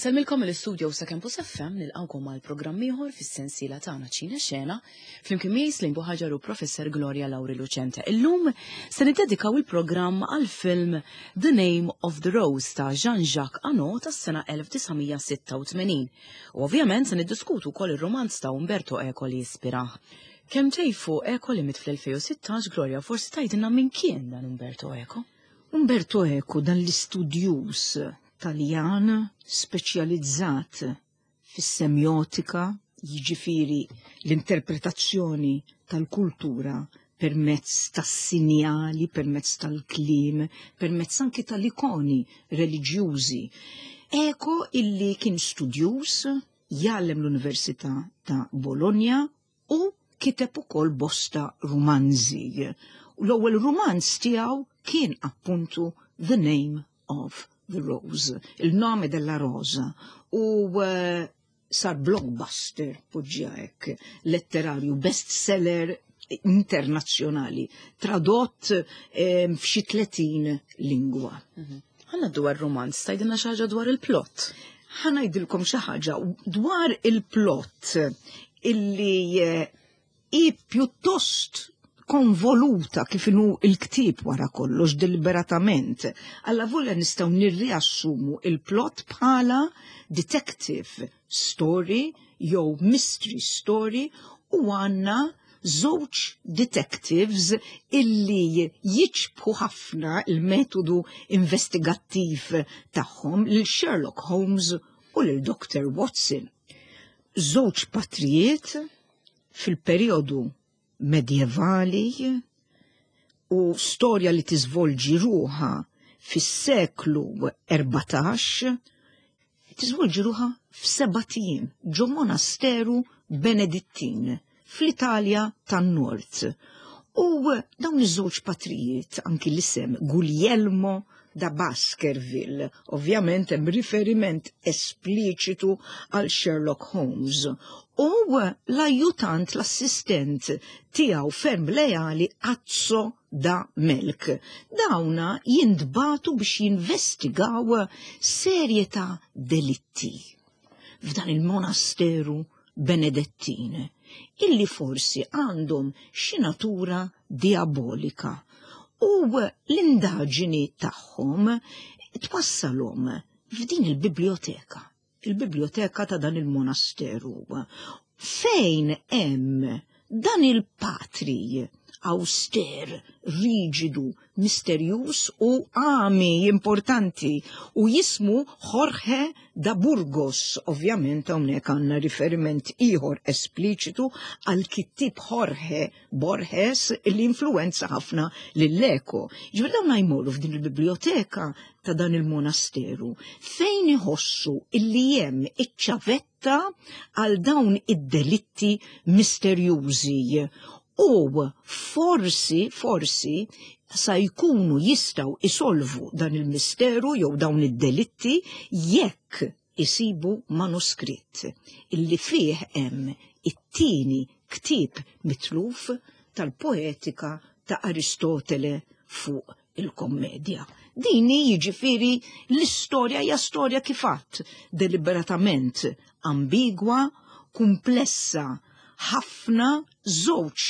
Insellmilkom mill-istudio sa Campus FM nilqgħukom għal programm ieħor fis-sensiela tagħna Ċina Xena flimkien miegħi Slim Buħaġar u Professor Gloria Lauri Lucente. Illum se niddedikaw il-programm għal film The Name of the Rose ta' Jean-Jacques Annaud tas-sena 1986. U ovvjament se niddiskutu wkoll ir-romanz ta' Umberto Eco li jispirah. Kemm tejfu Eco li miet fl-2016, Gloria, forsi tgħidilna min kien dan Umberto Eco? Umberto Eco dan l-istudjuż Taljan speċjalizzat fis-semjotika, jiġifieri l-interpretazzjoni tal-kultura permezz tas-sinjali, permezz tal-kliem, permezz anki tal-ikoni reliġjużi. Eco illi kien studjuż, jgħallem l-Università ta' Bologna u kiteb ukoll bosta rumanzi. U l-ewwel rumanz tiegħu kien appuntu The Name of the Rose, il-nome della rosa, u eh, sar blockbuster, poġġija hekk, letterarju, bestseller internazzjonali, tradott eh, f'xi 30 lingwa. Mhm. Ħanna dwar romanz, tajdilna xi ħaġa dwar il-plot. Ħanajdilkom xi ħaġa dwar il-plot illi eh, hi pjuttost konvoluta kif inhu il-ktieb wara kollox deliberatament. Alla volja nistgħu nirriassumu il-plot bħala detective story jew mystery story u għandna żewġ detectives illi jiċbħu ħafna il-metodu investigattiv tagħhom lil Sherlock Holmes u lil Dr. Watson. Żewġ patrijiet fil-perjodu medjevali u storja li tiżvolġi ruħha fis-seklu 14 tiżvolġi ruħha f'seba' ijiem ġo monasteru Benedittin fl-Italja tan-Nord. U dawn iż-żewġ patrijiet, anki l-isem Guglielmo da Baskerville, ovvjament hemm riferiment espliċitu għal Sherlock Holmes. U l-ajjutant, l-assistent tiegħu ferm leali Azzo da Melk. Dawna jintbagħtu biex jinvestigaw serje ta' delitti f'dan il-monasteru Benedettin, illi forsi għandhom xi natura diabolika u l-indaġini tagħhom twassalhom f'din il-biblioteka, il-biblioteka ta' dan il-monasteru, fejn hemm dan il-patri auster, riġidu, misterjuż u għami importanti u jismu Jorge da Burgos. Ovvjament hawnhekk għandna riferiment ieħor espliċitu għal kittieb Jorge Borges li influenza ħafna lil Eco. Ġifieri dawn jmorru f'din il-biblioteka ta' dan il-monasteru fejn iħossu illi hemm iċ-ċavetta għal dawn id-delitti misterjużi u forsi, forsi, sa jkunu jistaw isolvu dan il-misteru jew dawn id-delitti jekk isibu manuskritt illi fih hemm it-tieni ktieb mitluf tal-poetika ta' Aristotele fuq il-kommedja. Din hi jiġifieri l-istorja hija storja kif għadt deliberatament ambigwa, kumplessa ħafna żewġ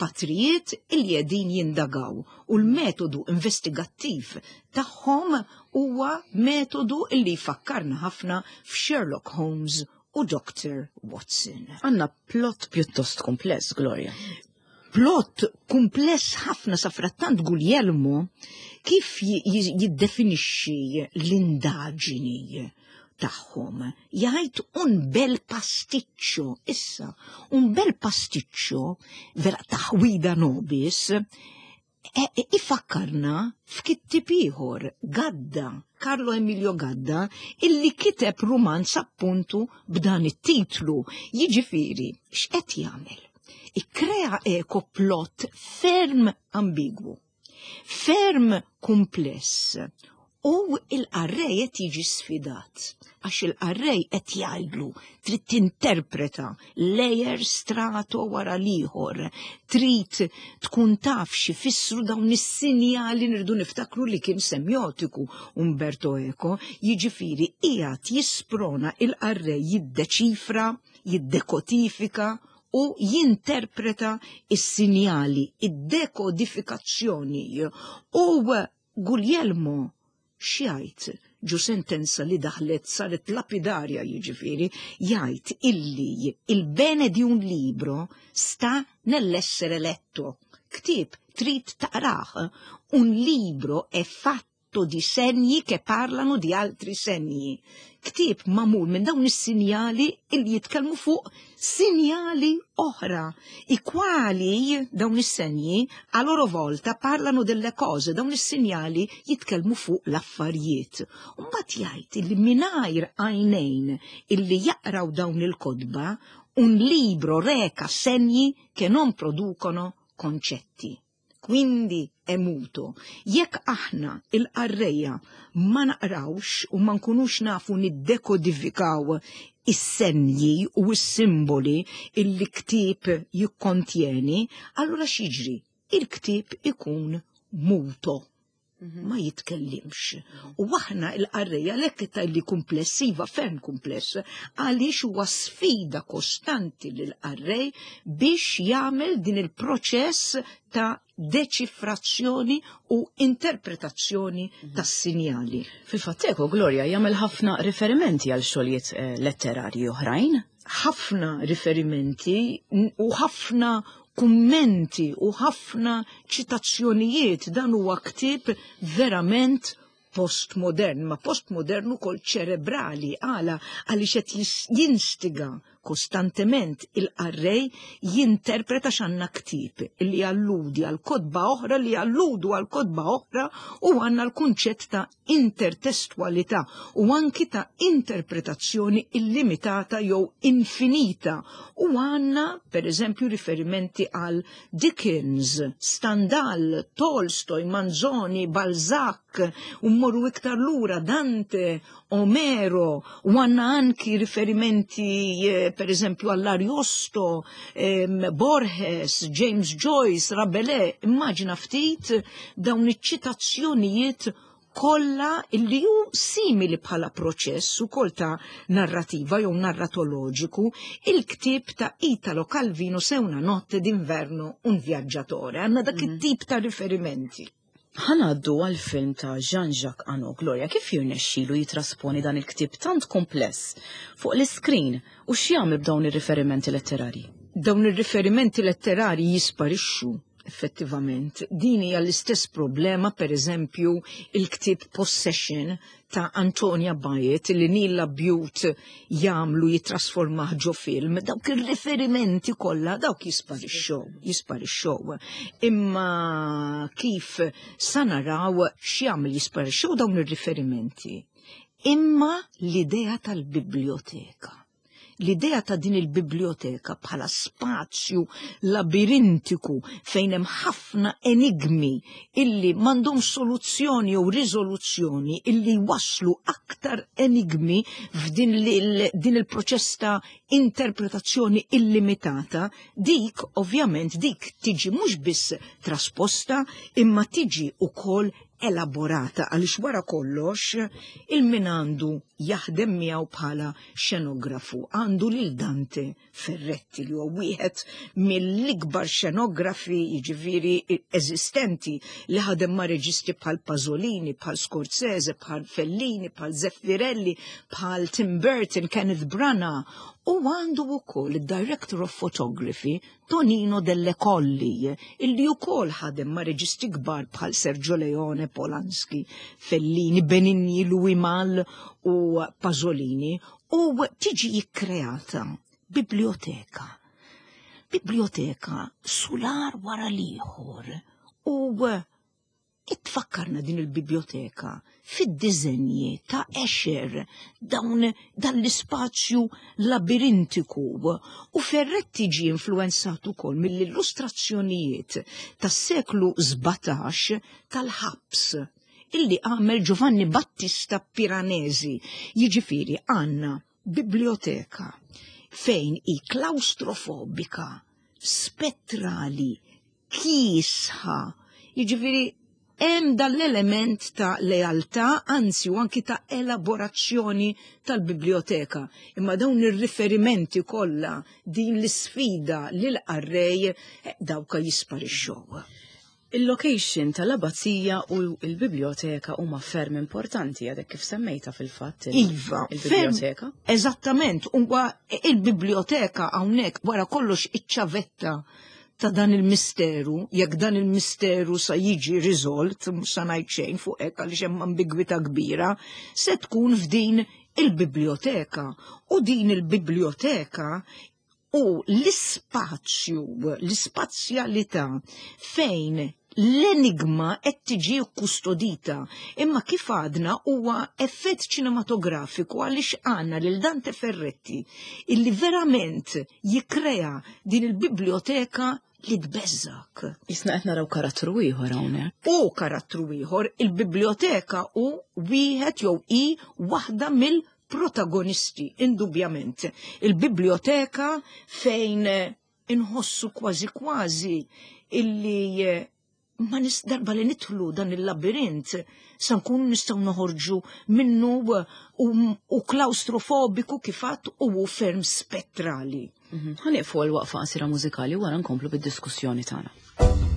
patrijiet li qegħdin jindagaw u l-metodu investigattiv tagħhom huwa metodu li jfakkarna ħafna f'Sherlock Holmes u Dr. Watson. Għandna plot pjuttost kumpless, Gloria. Plot kumpless ħafna sa frattant Guglielmo kif jiddefinixxi l-indaġini tagħhom. Jgħid un bel pasticcio, issa, un bel pasticcio vera taħwida nobis, e, e, ifakkarna f'kittib ieħor, Gadda, Carlo Emilio Gadda, illi kiteb rumanz appuntu b'dan it-titlu. Jiġifieri, x'qed jagħmel? Ikkrea eko plot ferm ambigwu, ferm kumpless. U il-qarrej qed jiġi sfidat, għax il-qarrej qed jgħidlu trid tinterpreta layer strato wara l-ieħor, trid tkun taf x'ifissru dawn is-sinjali. Nirdu niftakru li kien semjotiku Umberto Eco, jiġifieri qiegħed jisprona il-qarrej jiddeċifra, jiddekodifika u jinterpreta is-sinjali, id-dekodifikazzjoni. U Guglielmo x'jgħid ġu sentenza li daħlet saret lapidarja, jiġifieri jgħid illi "il bene di un libro sta nell'essere letto". Ktieb trid taqrah. Un libro è fatto di segni che parlano di altri segni. Ktieb magħmul minn dawn is-sinjali illi jitkellmu fuq sinjali oħra, i quali dawn is-segni a loro volta parlano delle cose, dawn is-sinjali jitkellmu fuq l-affarijiet. Mbagħad jgħid illi mingħajr għajnejn illi jaqraw dawn il-kotba, un libro reca segni che non producono concetti. Quindi è muto. Jekk aħna il-qarrejja ma naqrawx u ma nkunux nafu niddekodifikaw is-senji u s-simboli illi ktieb jikkontjeni, allura x'jiġri? Il-ktieb ikun muto. Ma jitkellimx. U aħna il-qarrejja lek ta' li kumplessiva, ferm kumpless, għaliex huwa sfida kostanti lil qarrej biex jagħmel din il-proċess ta' deċifrazzjoni u interpretazzjoni tas-sinjali. Fil-fatt Eco, Gloria, jagħmel ħafna riferimenti għal xogħlijiet letterarji oħrajn. Ħafna riferimenti u ħafna kummenti u ħafna ċitazzjonijiet. Dan huwa ktieb verament postmodern, ma postmodern ukoll ċerebrali. Għala? Għaliex qed jinstiga kostantement il-qarrej jinterpreta x'għandna ktieb illi alludi għal kotba oħra li alludu għal kotba oħra u għandna l-kunċett ta' intertestualità u anki ta' interpretazzjoni illimitata jew infinita u għandna per eżempju riferimenti għal Dickens, Stendhal, Tolstoj, Manzoni, Balzac, u mmorru iktar lura Dante, Omero, u għandna anki riferimenti per eżempju għall-Ariosto, Borges, James Joyce, Rabelais. Immaġina ftit dawn iċ-ċitazzjonijiet kollha illi hu simili bħala proċess ukoll ta' narrativa jew narratoloġiku il-ktieb ta' Italo Calvino Se una notte d'inverno un viaggiatore. Għandna dak it-tip ta' riferimenti. Ħa ngħaddu għal film ta' Jean-Jacques Annaud. Gloria, kif jirnexxilu jitrasponi dan il-ktieb tant kompless fuq l-iskrin u x'jagħmel b'dawn ir-riferimenti letterari? Dawn ir-riferimenti letterari jisparixxu effettivament. Din hija l-istess problema, per eżempju, il-ktieb Possession ta' Antonia Byatt li Neil Labute jagħmlu jitrasformah ġo film, dawk ir-riferimenti kollha dawk jisparixxew, jisparixxew. Imma kif sa naraw x'jagħmel jisparixxew dawn ir-riferimenti. Imma l-idea tal-biblioteka. L-idea ta' din il-biblioteka bħala spazju labirintiku fejn hemm ħafna enigmi illi m'għandhomx soluzzjoni jew riżoluzzjoni illi waslu aktar enigmi f'din din il-proċess ta' interpretazzjoni illimitata, dik ovvjament dik tiġi mhux biss trasposta imma tiġi ukoll elaborata, għaliex wara kollox il-min għandu jaħdem miegħu bħala xenografu għandu lil Dante Ferretti li huwa wieħed mill-ikbar xenografi, jiġifieri, eżistenti, li ħadem ma' reġisti bħal Pasolini, bħal Scorsese, bħal Fellini, bħal Zeffirelli, bħal Tim Burton, Kenneth Branagh, u għandu wkoll id-Director of Photography Tonino Delle Colli, illi wkoll ħadem ma' reġisti kbar bħal Sergio Leone, Polanski, Fellini, Benigni, Louis Malle u Pasolini, u tiġi jikkreata biblioteka. Biblioteka sular wara l-ieħor u itfakkarna din il-biblioteka fid-diżenji ta' Escher, dawn dan l-ispazju labirintiku, u Ferretti ġie influenzat ukoll mill-illustrazzjonijiet tas-seklu 17 tal-ħabs. illi għamel Giovanni Battista Piranesi. Jiġifieri għandna biblioteka fejn hi klaustrofobika, spettrali, kiesħa, jiġifieri hemm dan l-element ta' lealtà, anzi u anki ta' elaborazzjoni tal-biblioteka. Imma dawn ir-riferimenti kollha, din l-isfida lil qarrej dawka jisparixxew. Il-location tal-abbazija u l-biblioteka huma ferm importanti għadek kif semmejta fil-fatt. Iva, il-biblioteka. Eżattament, huwa il-biblioteka hawnhekk wara kollox iċ-ċavetta ta' dan il-misteru, jekk dan il-misteru sa jiġi riżolt, mhux sa ngħid xejn fuq hekk għaliex hemm ambigwità kbira, se tkun f'din il-biblioteka. U din il-biblioteka u l-ispazju, l-ispazjalità fejn l-enigma qed tiġi kkustodita. Imma kif għadna huwa effett ċinematografiku għaliex għandna lil Dante Ferretti illi verament jikkrea din il-biblioteka li tbeżżak. Jisna qed naraw karattru ieħor hawnhekk. U karattru ieħor, il-biblioteka u wieħed jew hi waħda mill protagonisti, indubjament. Il-biblioteka fejn inħossu kważi kważi illi ma nis darba li nidħlu dan il-labirint sa nkunu nistgħu noħorġu minnu u klaustrofobiku kif għadt u ferm spettrali. Ħa nieqfu għal waqfa qasira mużikali wara nkomplu bid-diskussjoni tagħna.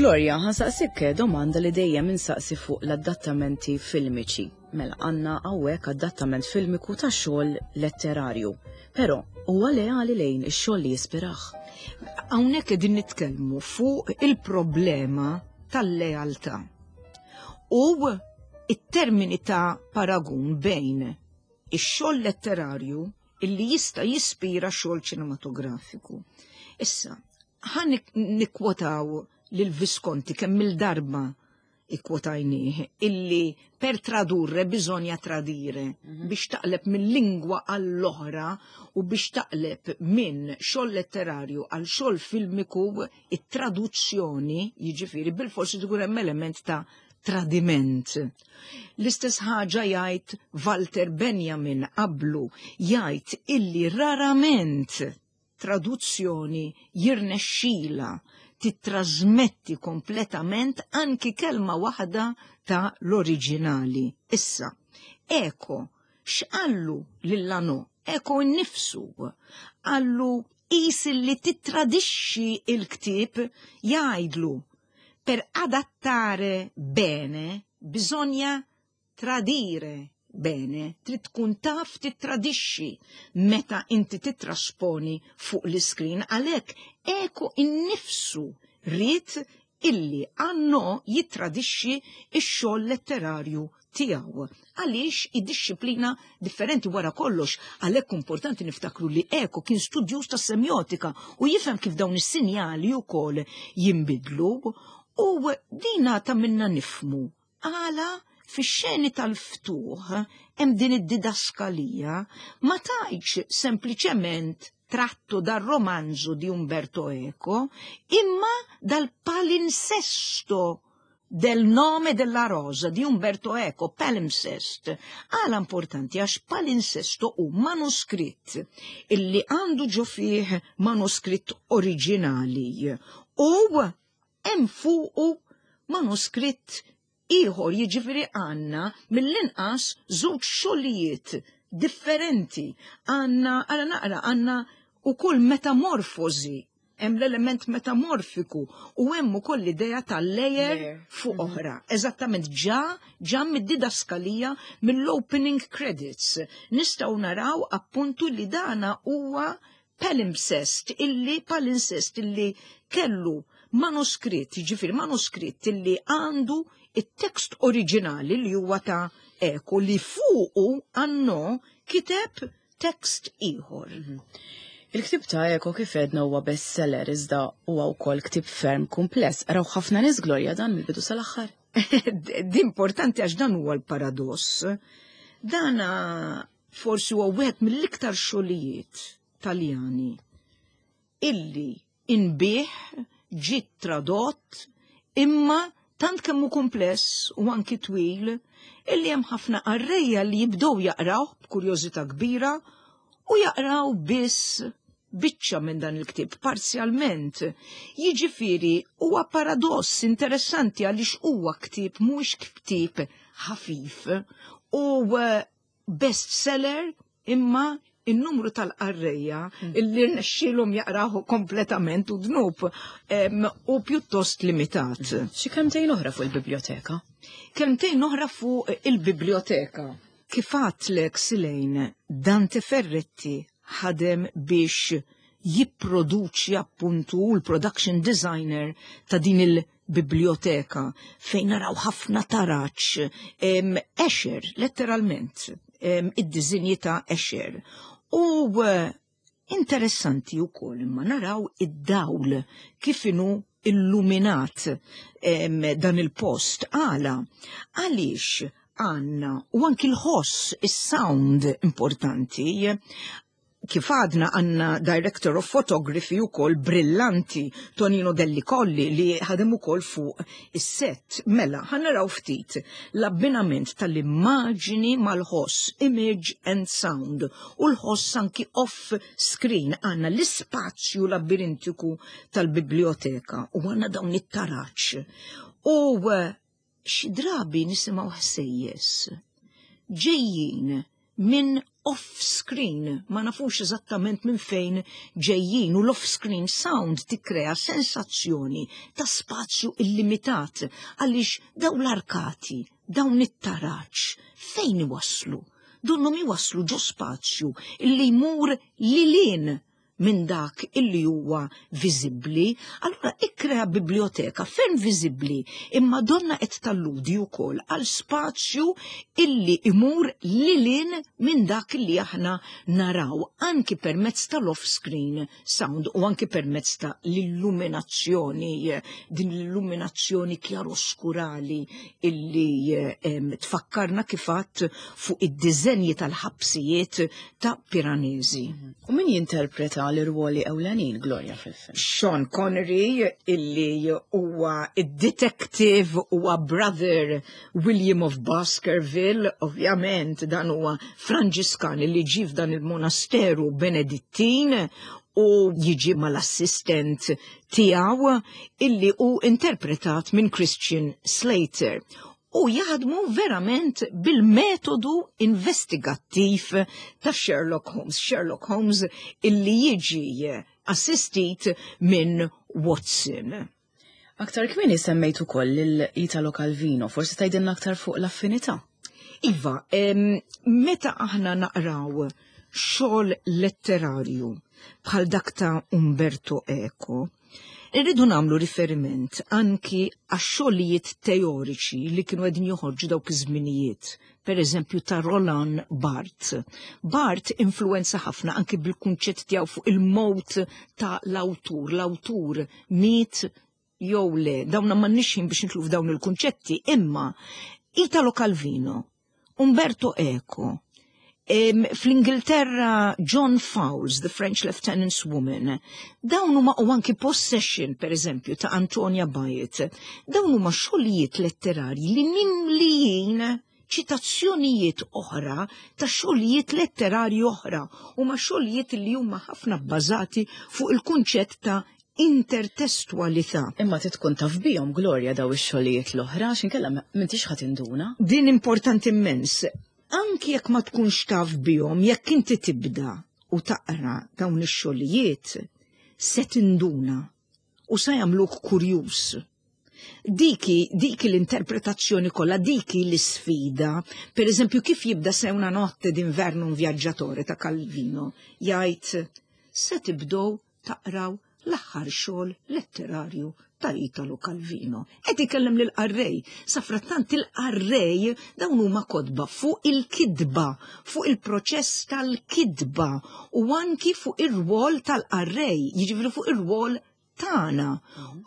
Gloria, ħa nsaqsik domanda li dejjem insaqsi fuq l-adattamenti filmiċi. Mela għandna hawnhekk adattament filmiku ta' xogħol letterarju. Però huwa leali lejn ix-xogħol li jispirah. Hawnhekk qegħdin nitkellmu fuq il-problema tal-lealtà. U it-termini ta' paragun bejn ix-xogħol letterarju illi jista' jispira xogħol ċinematografiku. Issa, ħa nikkwotaw lil Visconti kemm il-darba ikkwotajnieh illi per tradurre bisogna tradire biex taqleb minn lingwa għall-oħra u biex taqleb minn xogħol letterarju għal xogħol filmiku it-traduzzjoni jiġifieri bil-forsi tkun hemm element ta' tradiment. L-istess ħaġa jgħid Walter Benjamin qablu jgħid illi rarament traduzzjoni jirnexxila titrasmetti kompletament anki kelma waħda ta' l-oriġinali. Issa, Eco, x'qallu lil Annaud? Eco innifsu qallu qis li titradixxi il-ktieb jgħidlu per adattare bene bisogna tradire bene, trid tkun taf titradixxi meta inti titrasponi fuq l-iskrin għalhekk Eco innifsu ried illi Annaud jitradixxi x-xogħol letterarju tiegħu. Għaliex id-disciplina differenti wara kollox, għalhekk importanti niftakru li Eco kien studjuż ta' semjotika u jifhem kif dawn is-sinjali wkoll jinbidlu u dina ta' minna nifmu għala fix-xeni tal-ftuħ hemm din id-didaskalija ma tajtx sempliċement tratto dal romanzo di Umberto Eco, imma dal palinsesto del nome della rosa di Umberto Eco, palimpsest. Għala importanti għax palinsesto hu manuskritt illi għandu ġo fih manuskritt oriġinali u hemm fuqu manuskritt ieħor jiġifieri għandna mill-inqas żewġ xogħlijiet differenti. Għandna għala naqra għandna ukoll metamorfosi hemm l-element metamorfiku u hemm ukoll l-idea ta' layer fuq oħra. Eżattament ġa ġa mid-didaskalija mill-opening credits. Nistgħu naraw appuntu li dana huwa palimpsest illi palimpsest illi kellu manuskritt, jiġifieri manuskritt illi għandu it-tekst oriġinali li huwa ta' Eco li fuqu Annaud kiteb tekst ieħor. Il-ktieb ta' Eco kif għedna huwa bestseller iżda huwa wkoll ktieb ferm kumpless. Qraw ħafna nies Gloria dan mill-bidu sal-aħħar. Di importanti għax dan huwa l-paradoss. Dana forsi huwa wieħed mill-iktar xogħlijiet Taljani illi inbiegħ ġiet tradott imma tant kemm hu kumpless u anki twil illi hemm ħafna qarrejja li jibdew jaqraw b'kurjożità kbira u jaqraw biss biċċa minn dan il-ktieb parzjalment. Jiġifieri huwa paradoss interessanti għaliex huwa ktieb mhuwiex ktieb ħafif u bestseller imma in-numru tal-qarrejja illi rnexxielhom jaqrahu kompletament u dnub u pjuttost limitat. Xi kelmtejn oħra fuq il-biblioteka? Kelmtejn oħra fuq il-biblioteka. Kif għedtlek Silejn, Dante Ferretti ħadem biex jipproduċi appuntu l-production designer ta' din il-biblioteka fejn naraw ħafna taraċ, Escher, letteralment, id-dizinji ta' Escher. U interessanti wkoll imma naraw id-dawl kif inhu illuminat dan il-post. Għala, għaliex għandna u anki l-ħoss, is-sound importanti, kif għadna għandna director of photography u kol brillanti Tonino Delli Colli li ħadem ukoll fuq is-set. Mela, ħa naraw ftit l-abbinament tal-immaġini mal-ħoss, image and sound, u l-ħoss anki off screen għandna l-ispazju labirintiku tal-biblioteka u għandna dawn it-taraċ. U xi drabi nisimgħu ħsejjes ġejjin minn off-screen, ma nafux eżattament minn fejn ġejjin u l-off-screen sound tikkrea sensazzjoni ta' spazju illimitat għaliex dawn l-arkati, dawn it-taraġ, fejn iwasslu? Donnhom iwasslu ġo spazju illi jmur lil hinn minn dak illi huwa viżibbli, allura ikkrea biblioteka ferm viżibbli imma donna qed talludi wkoll għal spazju illi imur lilin minn dak illi aħna naraw anki permezz tal-off-screen sound u anki permezz ta' l-illuminazzjoni, din l-illuminazzjoni kjaroskurali illi tfakkarna kifat fuq id-diżenji tal-ħabsijiet ta' Piranesi. U min jinterpreta l-irwoli ewlenin Gloria fil-film? Sean Connery illi huwa id-detective huwa brother William of Baskerville, ovvjament dan huwa Franġiskan illi ġie f'dan il-monasteru Benedittin u jiġi mal-assistent tiegħu illi hu interpretat minn Christian Slater u jaħdmu verament bil-metodu investigattiv ta' Sherlock Holmes. Sherlock Holmes illi jiġi assistit minn Watson. Aktar kmieni semmejt ukoll lil Italo Calvino, forsi tgħidilna aktar fuq l-affinità. Iva, meta aħna naqraw xogħol letterarju bħal dak ta' Umberto Eco, Irridu nagħmlu riferiment anki għax-xogħlijiet teoriċi li kienu qegħdin joħorġu dawk iż-żminijiet, per eżempju ta' Roland Barthes. Barthes influenza ħafna anki bil-kunċett tiegħu fuq il-mowt ta' l-awtur, l-awtur miet jew le, dawna m'għandniex ħin biex nitlu f'dawn il-kunċetti, imma Italo Calvino Umberto Eco, fl-Ingilterra John Fowles, The French Lieutenant's Woman, dawn huma u anki Possession, per eżempju, ta' Antonia Byatt, dawn huma xogħlijiet letterarji li mimlijin ċitazzjonijiet oħra ta' xogħlijiet letterarji oħra huma xogħlijiet li huma ħafna bbażati fuq il-kunċett ta' intertestwalità. Imma trid tkun taf bihom Gloria daw ix-xogħlijiet l-oħra għax inkella m'intix ħa tinduna. Din importanti immens. Anki jekk ma tkunx taf bihom, jekk inti tibda u taqra dawn ix-xogħlijiet, se tinduna u sa jagħmluk kurjuż. Diki, diki l-interpretazzjoni kollha, diki l-isfida. Per eżempju, kif jibda Se una notte d'inverno un viaggiatore ta' Calvino, jgħid se tibdow taqraw l-aħħar xogħol letterarju ta' Italo Calvino. Qed ikellem lil qarrej. Safrattant il-qarrej dawn huma kotba fuq il-kidba, fuq il-proċess tal-kidba u anki fuq ir-rwol tal-qarrej, jiġifieri fuq ir-rwol tagħna.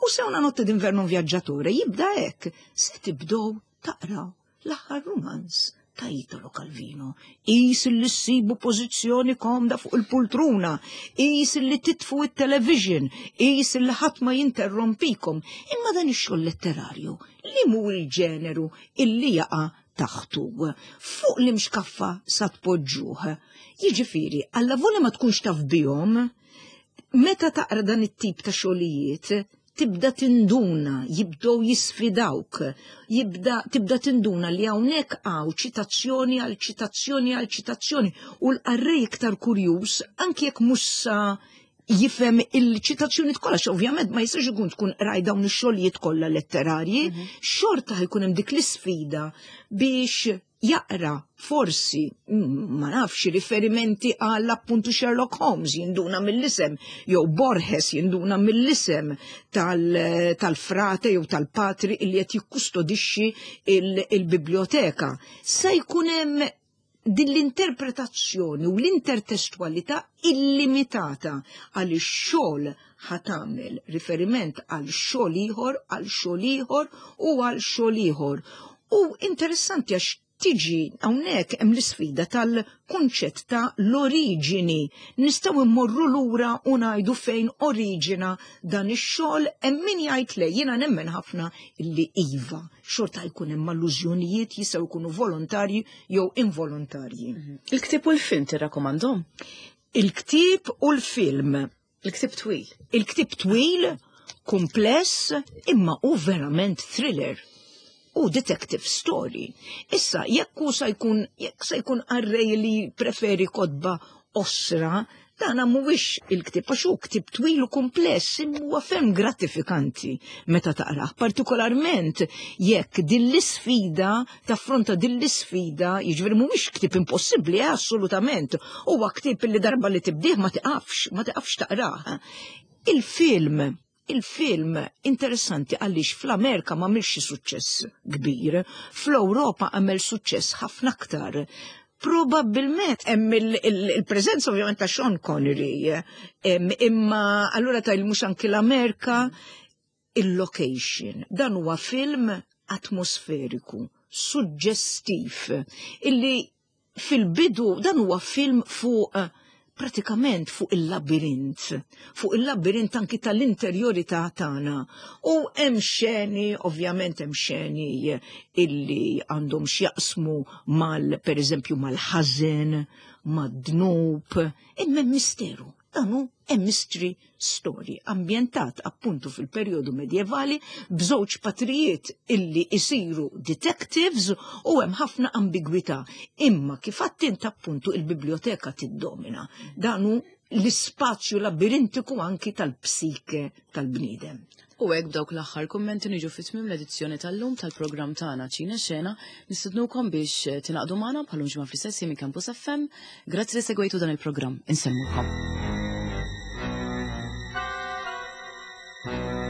U Se una notte d'inverno un viaggiatore jibda hekk, se tibdow taqraw l-aħħar rumanz ta' Italo Calvino. Qis li ssibu pożizzjoni komda fuq il-pultruna, qis li titfu it-television, qis li ħadd ma jinterrompikom. Imma dan ix-xogħol letterarju li mhu il-ġeneru illi jaqa' taħtu. Fuq l-imxkaffa sa tpoġġuh. Jiġifieri, alla volja ma tkunx taf bihom, meta taqra dan it-tip ta' xogħlijiet, tibda tinduna, jibdew jisfidawk, jibda tibda tinduna li hawnhekk hawn ċitazzjoni għal ċitazzjoni għal ċitazzjoni u l-qarrej iktar kurjuż anki jekk mhux sa jifhem il-ċitazzjoni kollha, ovvjament ma jistax ikun tkun qraj dawn ix-xogħlijiet kollha letterarji, xorta ħajkun hemm dik l-isfida biex jaqra forsi, ma nafx, riferimenti għal appuntu Sherlock Holmes jinduna mill-isem, jew Borges jinduna mill-isem tal-frate jew tal-patri li qed jikkustodixxi il-biblioteka. Se jkun hemm din l-interpretazzjoni u l-intertestwalità illimitata għal xogħol ħa tagħmel riferiment għal xogħol ieħor, għal xogħol ieħor u għal xogħol ieħor. U interessanti għax tiġi hawnhekk hemm l-isfida tal-kunċett ta' l-oriġini. Nistgħu immorru lura u ngħidu fejn oriġina dan ix-xogħol hemm min jgħid le jiena nemmen ħafna illi iva, xorta jkun hemm allużjonijiet jistgħu jkunu volontarji jew involontarji. Il-ktieb u l-film tirrakkomandhom? Il-ktieb u l-film. Il-ktieb twil. Il-ktieb twil, kumpless, imma u verament thriller. u detective story. Issa, jekk hu sa jkun jekk se jkun qarrej li preferi kotba osra, dana mhuwiex il-ktieb għax hu ktieb twil u kumpless imma huwa ferm gratifikanti meta taqrah, partikolarment jekk din l-isfida taffronta din l-isfida, jiġifieri mhuwiex ktieb impossibbli eh, assolutament, huwa ktieb li darba li tibdih ma tiqafx, ma tiqafx taqrah. Il-film Il-film interessanti għaliex fl-Amerika ma għamilx xi suċċess kbir, fl-Ewropa għamel suċċess ħafna aktar. Probabbilment hemm il-preżenza ovvjament ta' Sean Connery, imma allura ta' mhux anki l-Amerika il-location. Dan huwa film atmosferiku, suġġestiv, illi fil-bidu dan huwa film fuq eh, pratikament fuq il-labirint, fuq il-labirint anki tal-interjorità tagħna. U hemm xeni, ovvjament hemm xeni illi għandhom x'jaqsmu mal pereżempju mal-ħażen, mad-dnub, imma hemm misteru. Dan hu a mystery story ambjentat appuntu fil-perjodu medjevali b'żewġ patrijiet illi isiru detectives u hemm ħafna ambigwità. Imma kif għattint appuntu il-biblioteka tiddomina. Dan hu l-ispazju labirintiku anki tal-psike tal-bniedem. U hekk b'dawk l-aħħar kummenti niġu fi tmiem l-edizzjoni tal-lum tal-programm tagħna Ċina Xena, nistednukom biex eh, tingħaqdu magħna bħalum ġimgħa fl-istess minn Campus FM. Grazzi li segwejtu dan il-programm. Insellmukom. Thank you.